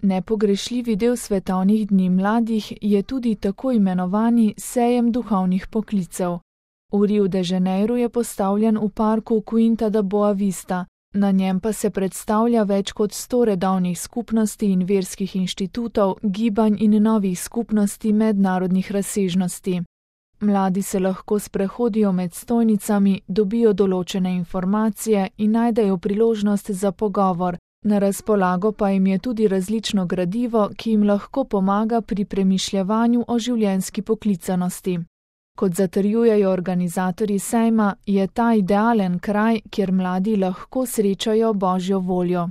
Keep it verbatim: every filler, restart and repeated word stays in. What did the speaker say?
Nepogrešljivi del svetovnih dni mladih je tudi tako imenovani sejem duhovnih poklicev. V Riu de Janeiro je postavljen v parku Quinta da Boa Vista, na njem pa se predstavlja več kot sto redovnih skupnosti in verskih inštitutov, gibanj in novih skupnosti mednarodnih razsežnosti. Mladi se lahko sprehodijo med stojnicami, dobijo določene informacije in najdejo priložnost za pogovor. Na razpolago pa jim je tudi različno gradivo, ki jim lahko pomaga pri premišljevanju o življenjski poklicanosti. Kot zatrjujejo organizatorji sejma, je ta idealen kraj, kjer mladi lahko srečajo Božjo voljo.